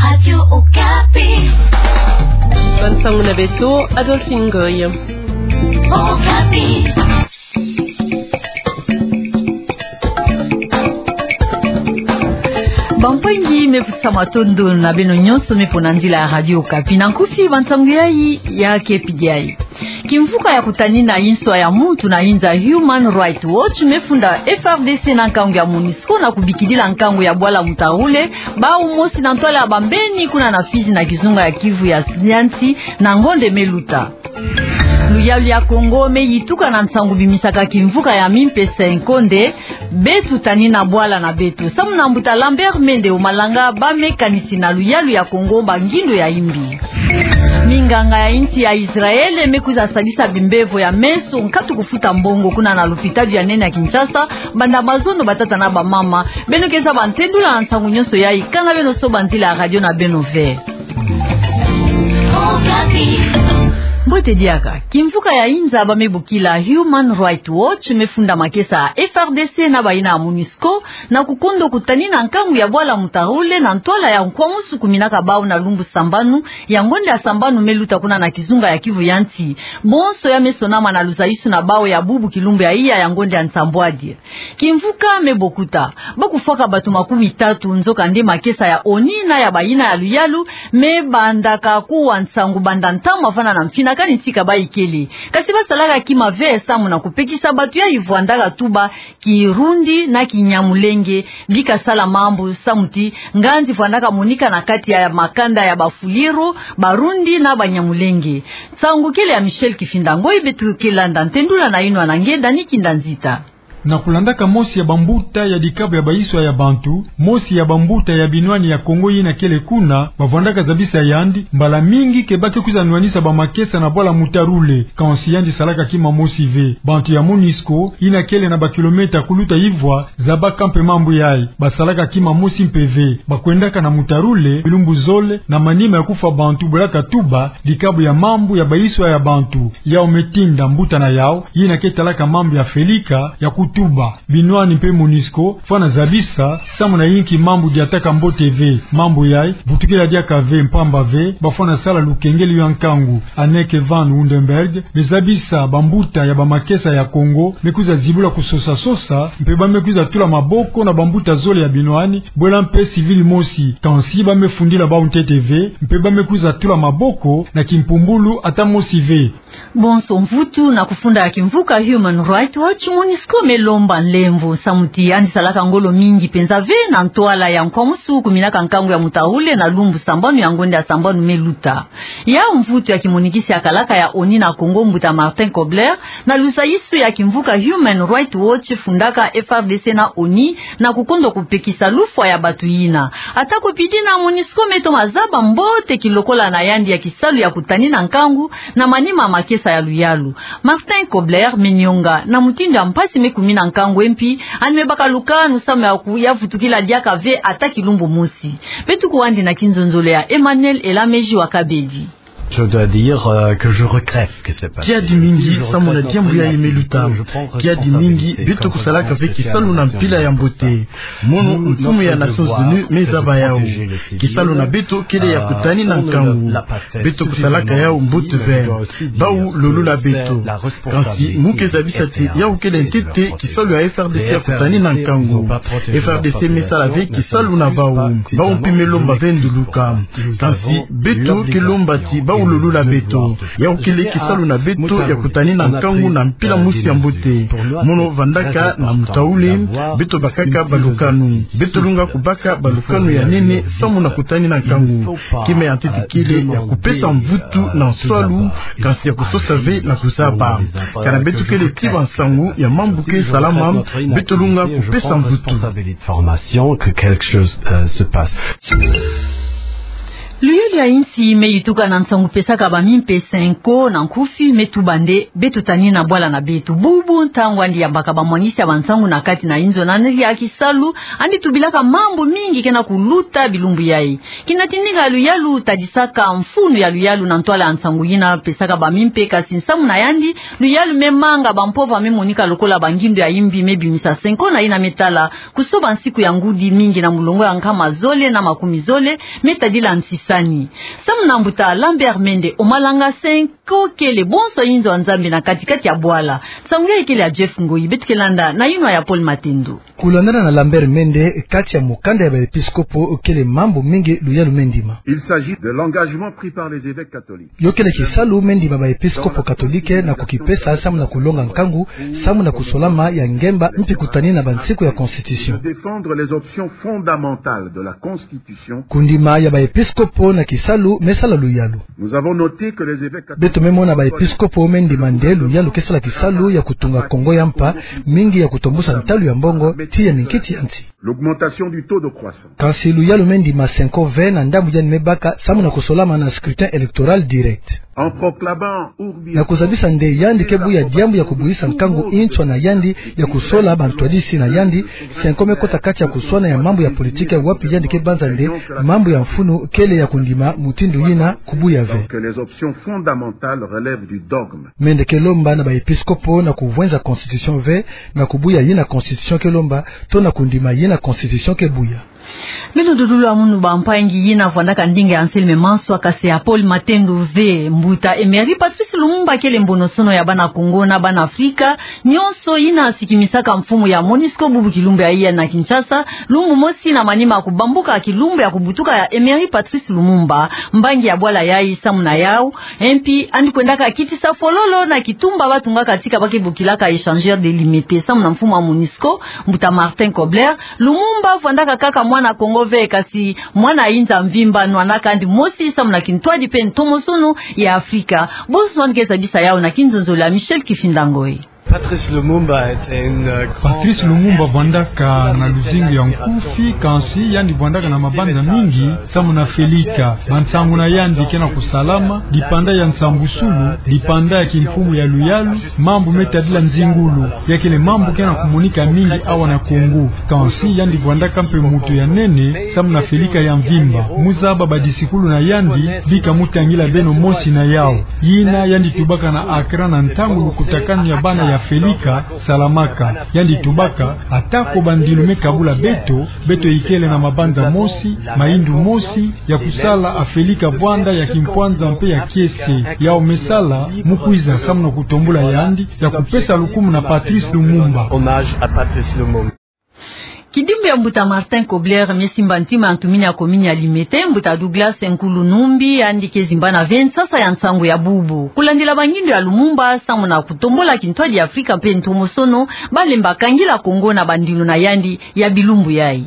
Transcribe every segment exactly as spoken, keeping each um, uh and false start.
Radio Okapi. Bansangu na beto, Adolphine Ngoy. Okapi. Bampangi, me futi sa matondo na beno nyonso me pona nzila ya Radio Okapi. Na nkufi, bansangu yayi ya kepidai. Kimvuka ya kutanina inswa ya muntu na inza, Human Rights Watch, me funda F R D C na nkangu ya MONUSCO na kubikidila nkangu ya bwala Mutharule, bau mosi na ntwala ya bambeni kuna na Fizi na kizunga ya Kivu ya, ya nsi na ngonde me luta. Luyalu ya Kongo me yituka na nsangu bimisaka kimvuka ya mimpese nkonde, beto tanina bwala na beto. Samu na mbuta Lambert Mende Omalanga, ba me kanisi na luyalu ya Kongo bangindo ya imbi. Minganga ya insi ya Israël me kwiza sadisa bimbevo ya meso nkatu kufuta mbongo kuna na lopitadi ya nene ya Kinshasa, banda mazono, batata na bamama. Beno ke zaba ntendula na nsangu nyonso yayi, kanga beno soba nzila ya radio na beno ve. Mbote diaka. Kimvuka ya inza ba me bokila Human Rights Watch me funda makesa ya F R D C na bayina ya MONUSCO na kukondo kutanina nkangu ya bwala Mutharule na ntwala ya nkwamusu kuminaka bau na lumbu sambanu ya ngonde ya sambanu me luta kuna na kizunga ya Kivu ya nsi. Bonso ya me sonama na luzaisu na bau ya bubu kilumbu ya iya ya ngonde ya nsambwadi. Kimvuka me bokuta ba kufwaka bato makumi tatu, nzokande makesa ya ONU na ya bayina ya luyalu me bandaka kuwa nsangu banda ntangu mavana na mfina kani ntika ba ikele. Kasi ba salaka kima ve samu na kupekisa bato yayi vwandaka tuba Kirundi na Kinyamulenge, bika sala mambu samu ti nganzi vwandaka monika na kati ya makanda ya Bafuliru, Barundi na Banyamulenge. Nsangu kele ya Michel Kifinda Ngoy, beto ke landa ntendula na yinwa na nge Dani Kinda Nzita. Na kulandaka mosi ya bambuta ya dikabu ya baiswa ya bantu, mosi ya bambuta ya binwani ya Kongo yina kele kuna, bavwandaka zabisa yandi mbala mingi ke ba ke kwiza nwanisa bamakesa na bwala Mutharule, kansi yandi salaka kima mosi ve. Bantu ya MONUSCO, yina kele na bakilomètre kuluta Ivwa, zaba kampe mambu yayi, basalaka kima mosi mpe ve. Bakwendaka na Mutharule bilumbu zole na manima ya kufwa bantu, bwelaka tuba dikabu ya mambu ya baiswa ya bantu. Yau me tinda mbuta na yau yina ke talaka mambu ya Felika ya kutuba binwani mpe MONUSCO fwana zabisa samu na yinki mambu diataka mbote ve. Mambu yayi vutukila diaka ve, mpamba ve bafwana sala lukengeli ya nkangu. Anneke van Woudenberg me zabisa bambuta ya bamakesa ya Kongo me kwiza zibula kusosa-sosa, mpe ba me kwiza tula maboko na bambuta zole ya binwani, bwela mpe civil mosi. Kansi ba me fundila bau ntete ve, mpe ba me kwiza tula maboko na kimpumbulu ata mosi ve. Bonso mvutu na kufunda ya kimvuka Human Rights Watch, MONUSCO me lomba nlemvo samu ti yandi salaka ngolo mingi penza ve na ntwala ya nkwamusu kuminaka nkangu ya Mutharule na lumbu sambanu ya ngonde ya sambanu me luta. Yau mvutu ya kimonikisi ya kalaka ya ONU na Kongo, mbuta Martin Kobler, na luzaisu ya kimvuka Human Rights Watch, fundaka F R D C na ONU na kukondo kupekisa lufwa ya bato yina. Ata ko pidi na, MONUSCO me toma zaba mbote kilokola na yandi ya kisalu ya kutanina nkangu na manima makesa ya luyalu. Martin Kobler me nyonga na mutindu ya mpasi me kumina nkangu, e mpi yandi me baka lukanu samu ya ku-, ya vutukila diaka ve ata kilumbu mosi. Beto kuwandi na kinzonzolo ya Emmanuel Elameji wa Kabedi. Je dois dire, euh, que je regrette ce qui s'est passé. Kiadi mingi samu na diambu yayi me luta. Kiadi mingi, beto kusalaka ve kisalu na mpila ya mbote. Mono mfumu ya Nations Unies me zaba yau. Kisalu na beto kele ya kutanina nkangu. Beto kusalaka yau mbote ve. Bau lolula beto. Kansi mu ke zabisa ti yau kele ntete kisalu ya F R D C ya kutanina nkangu. F R D C me sala ve kisalu na bau. Bau mpi me lomba ve nduluka. Kansi beto ke lomba ti bau lolula beto. Yau kele kisalu na beto ya kutanina nkangu na mpila mosi ya mbote. Mono vandaka na Mutharule, beto bakaka balukanu. Beto lunga kubaka balukanu ya nene samu na kutanina nkangu. Kima ya ntete kele ya kupesa mvutu na nswalu, kansi ya kusosa ve na kuzaba. Kana beto kele ti bansangu ya mambu ke salama, beto lunga kupesa mvutu. Formation que quelque chose, euh, se passe. Luyalu ya insi me yituka na nsangu pesaka bamimpe Cenco na nkufi me tuba nde beto tanina bwala na beto. Bubu ntangu andi yambaka bamwangisi ya bansangu na kati na inzo na nri ya kisalu, andi tubilaka mambu mingi kena kuluta bilumbu yai. Kina tindika luyalu tadisaka mfunu ya luyalu na ntwala ya nsangu yina pesaka bamimpe, kasi nsamu na yandi, luyalu me manga bampova me monika lokola bangindu ya imbi me bimisa Cenco na yina me tala kusoba nsiku ya ngudi mingi na mulongo ya nkama zole na makumi zole me tadila ntisani. Samu na mbuta Lambert Mende Omalanga, Cenco kele bonso inzo ya Nzambi na kati-kati ya bwala. Nsangu yai kele ya Jeff Ngoyi, beto ke landa na yinwa ya Paul Matendo. Kulandana na Lambert Mende, kati ya mukanda ya baepiskopo kele mambu mingi luyalu me ndima. Il s'agit de l'engagement pris par les évêques catholiques. Yo kele kisalu me ndima baepiskopo katolike na kukipesa samu na kulonga nkangu, samu na kusolama ya ngemba mpi kutani na bansiku ya constitution. De défendre les options fondamentales de la constitution. Kundima ya baepiskopo na kisalu me sala luyalu. Nous avons noté que les évêques catholiques. Beto me mona baepiskopo me ndima nde luyalu ke sala kisalu ya kutunga Kongo ya mpa, mingi ya kutombusa ntalu ya mbongo, tii ya minkiti ya nsi. L'augmentation du taux de croissance. Kansi luyalu me ndima Cenco ve na ndambu yandi me baka samu na kusolama na scrutin électoral direct. En proclamant urbi et. Na kuzabisa nde yandi ke buya diambu ya kubuhisa nkangu nswa na yandi ya kusola bantwadisi na yandi, Cenco me kota kati ya kuswana ya mambu ya politike wapi yandi ke banza nde mambu ya mfunu kele ya kundima mutindu yina kubuya ve. Que les options fondamentales relèvent du dogme. Mende ke lomba na baepiskopo na kuvwenza constitution ve, na kubuya yina constitution ke lomba, to na kundima yina constitution ke buya. Beno dudulu ya munu bampangi, yina vwandaka ndinga ya Anselme Manswa, kasi ya Paul Matendo ve. Mbuta Emery Patrice Lumumba kele mbonosono ya bana Kongo na bana Afrika nyonso, yina sikimisaka mfumu ya MONUSCO bubu kilumbu ya iya na Kinshasa, lumbu mosi na manima ya kubambuka kilumbu ya kubutuka ya Emery Patrice Lumumba. Mbangi ya bwala yai samu na yau, e mpi andi kwendaka kitisa fololo na kitumba batungaka tika ba ke bokilaka échangeur de limete samu na mfumu ya MONUSCO, mbuta Martin Kobler. Lumumba vwandaka kaka mwana Kongo ve, kasi mwana inza mvimba, nwanaka andi mosi samu na kintwadi mpe ntomosono ya Afrika. Bonso andi ke zabisa yau na kinzonzolo ya Michel Kifinda Ngoyi. Patrice Lumumba était une, euh, grande. Patrice Lumumba vwandaka na luzingu ya nkufi, kansi yandi vwandaka na mabanza mingi samu na Felika. Bansangu na yandi ke na kusalama, dipanda ya nsambusulu, dipanda ya kimfumu ya luyalu, mambu me tadila nzingulu, ya kele mambu ke na kumonika mingi awa na Kongo. Kansi yandi vwandaka mpe muntu ya nene samu na Felika ya mvimba. Mu zaba badisikulu na yandi, bika mu tangila beno mosi na yau. Yina yandi tubaka na Accra na ntangu lukutakanu ya bana ya Felika salamaka. Yandi tubaka, ata ko bandilu me kabula beto, beto ikele na mabanza mosi, mayindu mosi, ya kusala a Felika vwanda ya kimpwanza mpe ya kiese. Yau me sala, mu kwiza samu na kutombula yandi, ya kupesa lukumu na Patrice Lumumba. Hommage à Patrice Lumumba. Kidimbu ya mbuta Martin Kobler me simba ntima ya ntumini ya komini ya Limete, mbuta Douglas Nkulu Numbi, yandi ke zimbana ve nsasa ya nsangu ya bubu. Kulandila bangindu ya Lumumba, samu na kutombula kintwadi ya Afrika mpe ntomosono, balemba kangila Kongo na bandilu na yandi ya bilumbu yai.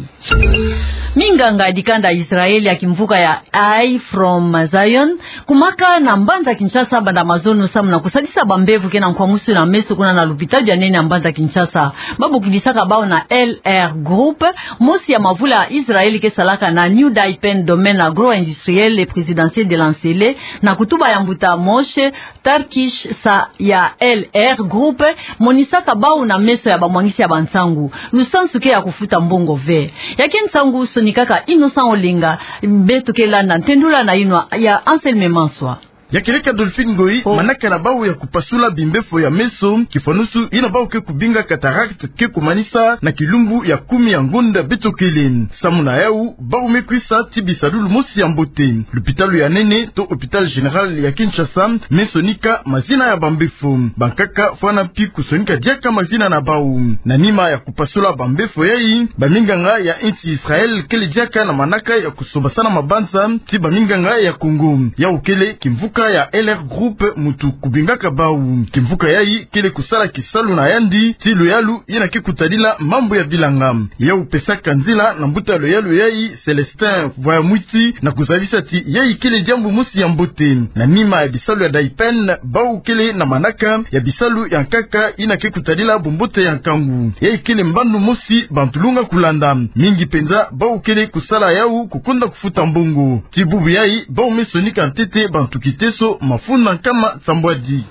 Minganga ya dikanda Israël ya kimvuka ya Eye from Zion, kumaka na mbanza Kinshasa banda mazono samu na kusadisa bambevo ke na nkwamusu na meso kuna na lupitalu ya nene ya mbanza Kinshasa. Ba bokidisaka bau na L R Group, mosi ya mavula Israël ke salaka na New Daipen Domaine Agro-Industriel et Présidentiel de Nansele, na kutuba ya mbuta Moshe Tarkish sa ya L R Group, monisaka bau na meso ya bamwangisi ya bansangu lusansu ke ya kufuta mbongo ve. Ya ke nsangu sonikaka Innocent Olenga, beto ke landa ntendula na yinwa ya Anselme Manswa. Ya kieleka Dolphine Ngoyi, oh, manaka na bau ya kupasula bimbefo ya meso, kifanusu yina bau ke kubinga cataracte ke kumanisa na kilumbu ya kumi ya ngonda beto kele. Samu na yau, bau me kwisa ti bisadulu mosi ya mbote. Lupitalu ya nene, to Hôpital Général ya Kinshasa, me sonika mazina ya bambefo. Bankaka fwana mpi kusonika diaka mazina na bau. Na nima ya kupasula bambefo yai, baminganga ya insi Israël kele diaka na manaka ya kusobasana mabanza ti baminganga ya Congo. Yau kele kimvuka ya L R Group mutu kubingaka bau. Kimvuka yayi kele kusala kisalu na yandi ti luyalu yina ke kutadila mambu ya bilanga. Yau pesaka nzila na mbuta luyalu yayi Célestin Vwayamwiti na kuzabisa ti yayi kele diambu mosi ya mbote. Na nima ya bisalu ya DAIPEN, bau kele na manaka ya bisalu ya nkaka yina ke kutadila bumbote ya nkangu. Yayi kele mbandu mosi bantu lunga kulanda. Mingi penza bau kele kusala yau kukonda kufuta mbongo. Ti bubu yayi, bau me sonika ntete bantu kiteso mafunda nkama nsambwadi.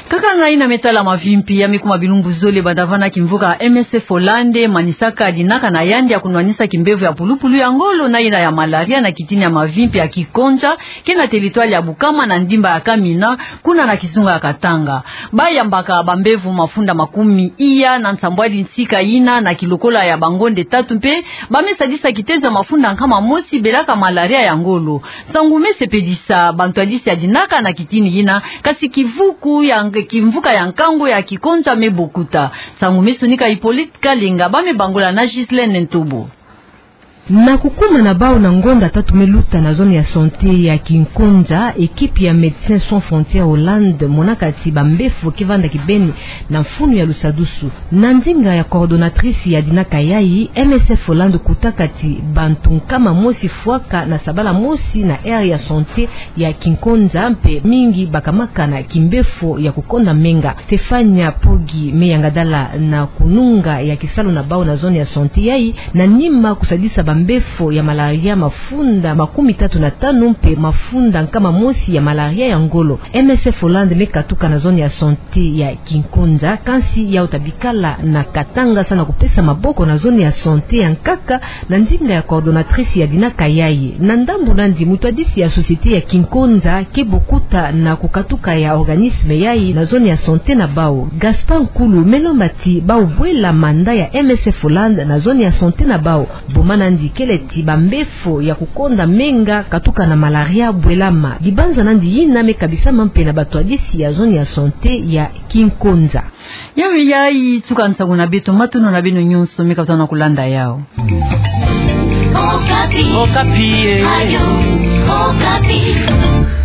Kaka ngai na me tala mavimpi ya me kuma bilumbu zole banda vana kimvuka M S F Hollande manisaka dinaka na yandi ya kunwanisa kimbevo ya pulupulu ya ngolo na yina ya malaria na kitini ya mavimpi ya Kikonja, ke na territoire ya Bukama na ndimba ya Kamina, kuna na kizunga ya Katanga. Bayambaka bambevo mafunda makumi iya na nsambwadi nsika yina na kilokola ya bangonde tatu mpe ba me sadisa kitezo ya mafunda nkama mosi belaka malaria ya ngolo. Nsangu me sepelisa bantwadisi ya dinaka na kitini yina, kasi kivuku ya nge-, kimvuka ya nkangu ya Kikonja me bokuta. Nsangu me sonika Hippolyte Kalenga, ba me bangola na Ghislaine Ntobo. Na kukuma na bau na ngonda tatu me luta na zone ya santé ya Kikonja, ekipi ya Médecins Sans Frontières Hollande monaka ti bambefo ke vanda kibeni na mfunu ya lusadusu. Na ndinga ya coordonnatrice ya dinaka yayi, M S F Hollande kutaka ti bantu nkama mosi fwaka na sabala mosi na aire ya santé ya Kikonja mpe mingi bakamaka na kimbefo ya kukonda menga. Stefania Pogi me yangadala na kununga ya kisalu na bau na zone ya santé yayi, na nima kusadisa bambefo ya malaria mafunda makumi tatu na tanu mpe mafunda nkama mosi ya malaria ya ngolo. M S F Hollande me katuka na zone ya santé ya Kikonja, kansi yau ta bikala na Katanga sa na kupesa maboko na zone ya santé ya nkaka, na ndinga ya coordonnatrice ya dinaka yayi. Na ndambu nandi, mutwadisi ya société ya Kikonja ke bokuta na kukatuka ya organisme yayi na zone ya santé na bau. Gaspard Nkulu me lomba ti bau bwela manda ya M S F Hollande na zone ya santé na bau. Boma nandi kele ti bambefo ya kukonda menga katuka na malaria bwelama. Dibanza nandi yina me kabisama mpe na batwadisi ya zone ya santé ya Kikonja. Ya me yayi tuka nsangu na beto, matondo na beno nyonso me katuka na kulanda yau. Okapi. Okapi, eh. Radio Okapi.